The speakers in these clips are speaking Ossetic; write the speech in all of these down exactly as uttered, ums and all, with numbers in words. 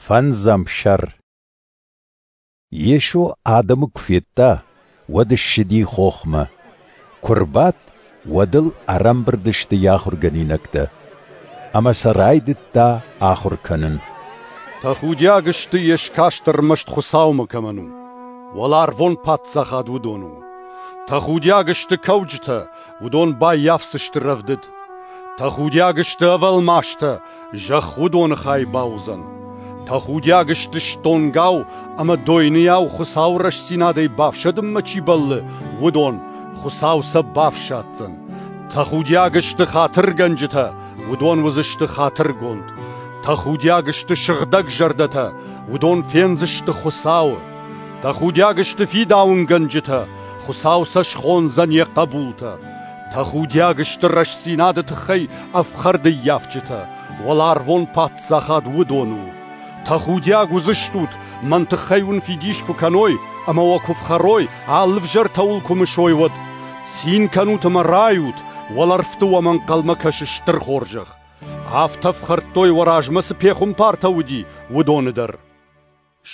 Фӕндзӕм сӕр. Йесо адӕмы куы федта, уӕд ссыди хохмӕ. Куы рбадт, уӕд ыл ӕрӕмбырд сты йӕ ахуыргӕнинӕгтӕ. Ӕмӕ сӕ райдыдта ахуыр кӕнын. Тӕхудиаг сты, йе скаст ӕрмӕст Хуыцаумӕ кӕмӕн у, уӕларвон паддзахад уыдон у. Тӕхудиаг сты кӕуджытӕ, уыдон баййафдзысты рӕвдыд. Тӕхудиаг сты ӕвӕлмастӕ, зӕхх уыдоны хай бауыдзӕн. Тӕхудиаг сты стонгау ӕмӕ дойныйау Хуыцауы рӕстдзинадӕй бафсӕдынмӕ чи бӕллы, уыдон, Хуыцау сӕ бафсаддзӕн. Тӕхудиаг сты хатыргӕнджытӕ, уыдон уыдзысты хатыргонд. Тӕхудиаг сты сыгъдӕг зӕрдӕтӕ, уыдон фендзысты Хуыцауы. Тӕхудиаг сты фидауынгӕнджытӕ, Хуыцау сӕ схондзӕн йӕ хъӕбултӕ. Тӕхудиаг сты рӕстдзинады тыххӕй ӕфхӕрдыййафджытӕ, уӕларвон паддзахад уыдон у. Тӕхудиаг уыдзыстут, мӕн тыххӕй уын фидис куы кӕной ӕмӕ уӕ куы фхӕрой, алы ӕвзӕртӕ уыл куы мысой, уӕд. Цин кӕнут ӕмӕ райут, уӕлӕрвты уӕм ӕнхъӕлмӕ кӕсы стыр хорзӕх. Афтӕ фхӕрдтой уӕ размӕ цы пехуымпартӕ уыди, уыдоны дӕр.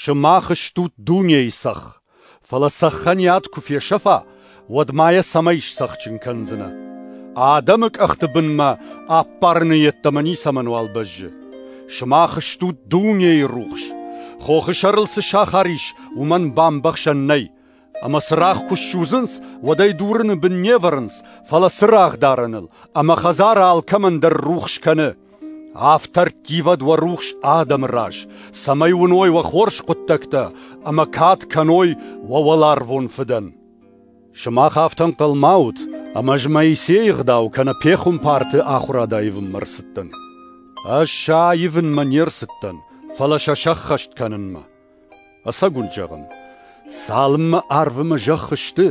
Сымах стут дунейы цӕхх, фӕлӕ цӕххӕн йӕ ад куы фесӕфа, уӕд ма йӕ цӕмӕй сцӕхджын кӕндзынӕ? Адӕмы къӕхты бынмӕ ӕппарыны йеддӕмӕ ницӕмӕнуал бӕззы. Сымах стут дунейы рухс. Хохы сӕрыл цы сахар ис, уымӕн бамбӕхсӕн нӕй. Ӕмӕ цырагъ куы ссудзынц, уӕд ӕй дурыны бын не вӕрынц, фӕлӕ цырагъдарӕныл, ӕмӕ хӕдзары алкӕмӕн дӕр рухс кӕны. Афтӕ ӕрттивӕд уӕ рухс адӕмы раз, цӕмӕй уыной уӕ хорз хъуыддӕгтӕ ӕмӕ кад кӕной уӕ уӕларвон Фыдӕн. Сымах афтӕ ӕнхъӕл ма ут, ӕмӕ ӕз Моисейы ӕгъдау кӕнӕ пехуымпарты ахуырад аивынмӕ ӕрцыдтӕн. Ӕз сӕ аивынмӕ не рцыдтӕн, фӕлӕ сӕ сӕххӕст кӕнынмӕ. Ӕцӕг уын зӕгъын, цалынмӕ арв ӕмӕ зӕхх сты,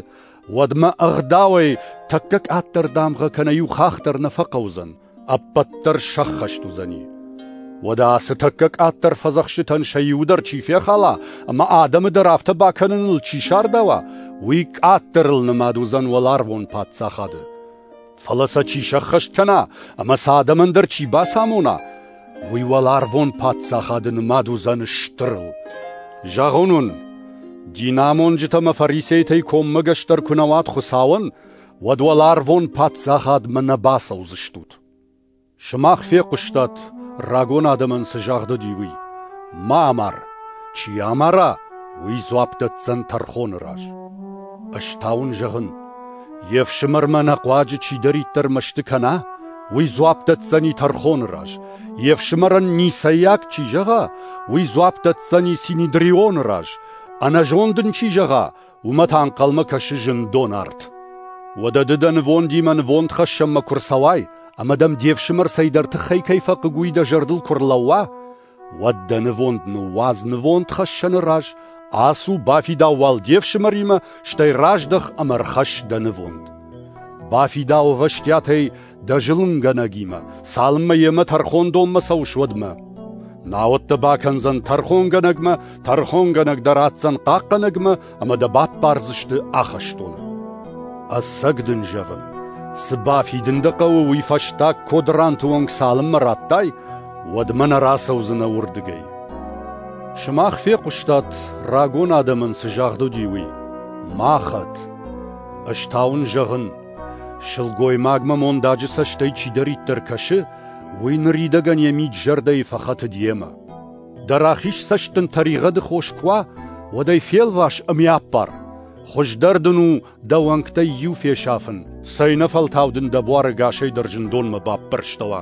уӕдмӕ ӕгъдауӕй тӕккӕ къаддӕр дамгъӕ кӕнӕ иу хахх дӕр нӕ фӕхъӕудзӕн, ӕппӕт дӕр сӕххӕст уыдзӕни. Уӕдӕ ацы тӕккӕ къаддӕр фӕдзӕхстытӕн сӕ иуы дӕр чи фехала ӕмӕ адӕмы дӕр афтӕ бакӕныныл чи сардауа, уый къаддӕрыл нымад уыдзӕн уӕларвон паддзахады. Фӕлӕ сӕ чи сӕххӕст кӕна ӕмӕ сӕ адӕмӕн дӕр чи бацамона, уый уӕларвон паддзахады нымад уыдзӕн стырыл. Зӕгъын уын, динамонджытӕ ӕмӕ фарисейтӕй коммӕгӕсдӕр куы нӕ уат Хуыцауӕн, уӕд уӕларвон паддзахадмӕ нӕ бацӕудзыстут. Сымах фехъуыстат, рагон адӕмӕн цы загъд уыди, уый: ма амар, чи амара, уый дзуапп дӕтдзӕн тӕрхоны раз. Ӕз та уын зӕгъын, йе фсымӕрмӕ ӕнӕхъуаджы чидӕриддӕр мӕсты кӕна, уый дзуапп дӕтдзӕни тӕрхоны раз. Йе фсымӕрӕн ницӕйаг чи зӕгъа, уый дзуапп дӕтдзӕни Синедрионы раз. Ӕнӕзонд ын чи зӕгъа, уымӕ та ӕнхъӕлмӕ кӕсы зындон арт. Уӕдӕ ды дӕ нывондимӕ нывондхӕссӕнмӕ куы рцӕуай, ӕмӕ дӕм де фсымӕр цӕйдӕр тыххӕй кӕй фӕхъыг, уый дӕ зӕрдыл куы рлӕууа, уӕд дӕ нывонд ныууадз нывондхӕссӕны раз, ацу, бафидау уал де фсымӕримӕ, стӕй раздӕх ӕмӕ ӕрхӕсс дӕ нывонд. Бафидау ӕвӕстиатӕй дӕ зылынгӕнӕгимӕ, цалынмӕ йемӕ тӕрхондонмӕ цӕуыс, уӕдмӕ. Науӕд дӕ бакӕндзӕн тӕрхонгӕнӕгмӕ, тӕрхонгӕнӕг дӕ ратдзӕн хъахъхъӕнӕгмӕ ӕмӕ дӕ баппардзысты ахӕстоны. Ӕцӕг дын зӕгъын, цы бафидын дӕ хъӕуы, уый фӕстаг кодранты онг цалынмӕ радтай, уӕдмӕ нӕ рацӕудзынӕ уырдыгӕй. Сымах фехъуыстат, рагон адӕмӕн цы загъд уыди, уый: ма хӕт. Ӕз та уын зӕгъын, сылгоймагмӕ мондаджы цӕстӕй чидӕриддӕр кӕсы, уый ныридӕгӕн йӕ мид-зӕрдӕйы фӕхӕтыд йемӕ. Дӕ рахиз цӕст дын тӕригъӕды хос куы уа, уӕд ӕй фелвас ӕмӕ йӕ аппар. Хуыздӕр дын у дӕ уӕнгтӕй иу фесафын, цӕйнӕфӕлтау дын дӕ буар ӕгасӕй дӕр зындонмӕ баппӕрстӕуа.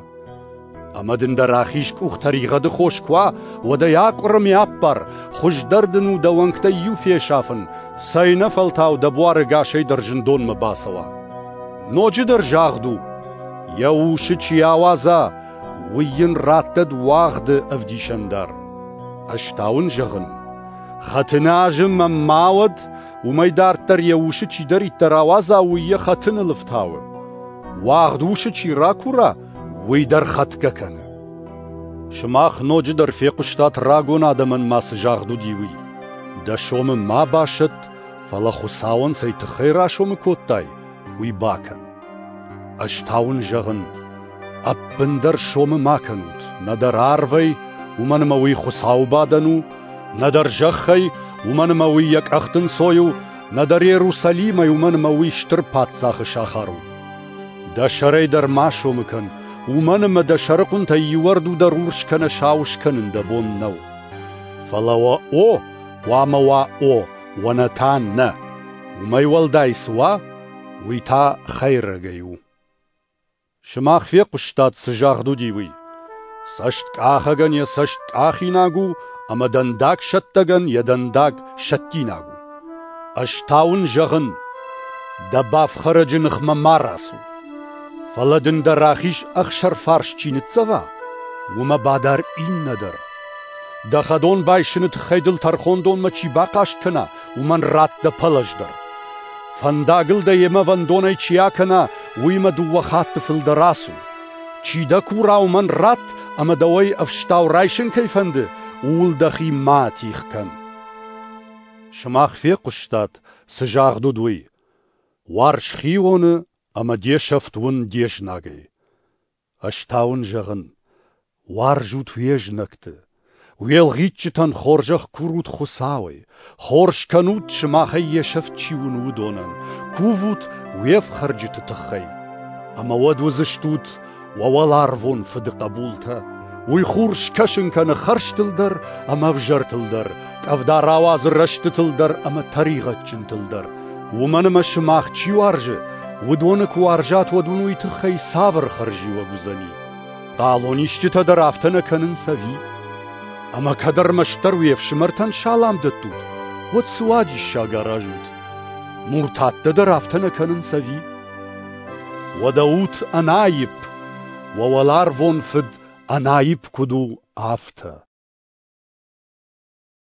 Ӕмӕ дын дӕ рахиз къух тӕригъӕды хос куы уа, уӕд ӕй акъуыр ӕмӕ йӕ аппар. Хуыздӕр дын у дӕ уӕнгтӕй иу фесафын, цӕйнӕфӕлтау дӕ буар ӕгасӕй дӕр зындонмӕ бацӕуа. Ноджыдӕр загъд у: йӕ усы чи ауадза, уый йын раттӕд уагъды ӕвдисӕндар. Ӕз та уын зӕгъын, хӕтыны азым ӕм ма уӕд, уымӕй дарддӕр йӕ усы чидӕриддӕр ауадза, уый йӕ хӕтыныл ӕфтауы. Уагъд усы чи ракура, уый дӕр хӕтгӕ кӕны. Сымах ноджыдӕр фехъуыстат, рагон адӕмӕн ма цы загъд уыди, уый: дӕ сомы ма басӕтт, фӕлӕ Хуыцауӕн цӕй тыххӕй расомы кодтай, уый бакӕн. Ӕз та уын зӕгъын, ӕппындӕр сомы ма кӕнут, нӕдӕр арвӕй, уымӕн ӕмӕ уый Хуыцауы бадӕн у, нӕдӕр зӕххӕй, уымӕн ӕмӕ уый йӕ къӕхты нцой у, нӕдӕр Иерусалимӕй, уымӕн ӕмӕ уый стыр паддзахы сахар у. Дӕ сӕрӕй дӕр ма сомы кӕн, уымӕн ӕмӕ дӕ сӕрыхъуынтӕй иу ӕрду дӕр урс кӕнӕ сау скӕнын дӕ бон нӕу. Фӕлӕ уӕ «о» хъуамӕ уа «о», уӕ «нӕ» та «нӕ». Уымӕй уӕлдай цы уа, уый та хӕйрӕгӕй у. Сымах фехъуыстат, цы загъд уыди, уый. Цӕсткъахӕгӕн йӕ цӕст къахинаг у, ӕмӕ дӕндаг сӕттӕгӕн йӕ дӕндаг сӕттинаг у. Ӕз та уын зӕгъын, дӕ бафхӕрӕджы ныхмӕ ма рацу. Фӕлӕ дын дӕ рахиз ӕхсӕрфарс чи ныццӕва, уымӕ бадар иннӕ дӕр. Дӕ хӕдон байсыны тыххӕй дыл тӕрхондонмӕ чи бахъаст кӕна, уымӕн ратт дӕ пӕлӕз дӕр. Фӕндагыл дӕ йемӕ вӕндонӕй чи акӕна, уыимӕ дыууӕ хатты фылдӕр ацу. Чи дӕ кура, уымӕн ратт, ӕмӕ дӕуӕй ӕфстау райсын кӕй фӕнды, ууыл дӕхи ма атигъ кӕн. Сымах фехъуыстат, цы загъд уыд, уый. Уарз хионы ӕмӕ де сӕфт уын де знагӕй. Ӕз та уын зӕгъын, уарзут уе знӕгты, уе лгъитджытӕн хорзӕх курут Хуыцауӕй, хорз кӕнут, сымахӕй йе сӕфт чи уыны, уыдонӕн, кувут уе фхӕрджыты тыххӕй. Ӕмӕ уӕд уыдзыстут уӕ уӕларвон Фыды хъӕбултӕ. Уый хур скӕсын кӕны хӕрзтыл дӕр ӕмӕ ӕвзӕртыл дӕр, къӕвда рауадзы рӕстытыл дӕр ӕмӕ тӕригъӕдджынтыл дӕр. Уымӕн ӕмӕ сымах чи уарзы, уыдоны куы уарзат, уӕд уын уый тыххӕй цавӕр хӕрзиуӕг уыдзӕни? Хъалонисджытӕ дӕр афтӕ нӕ кӕнынц ӕви? Ӕмӕ кӕд ӕрмӕстдӕр уе фсымӕртӕн салам дӕттут, уӕд цы уадиссаг аразут? Муртаттӕ дӕр афтӕ нӕ кӕнынц ӕви? Уӕдӕ ут ӕнаипп, уӕ уӕларвон Фыд ӕнаипп куыд у, афтӕ.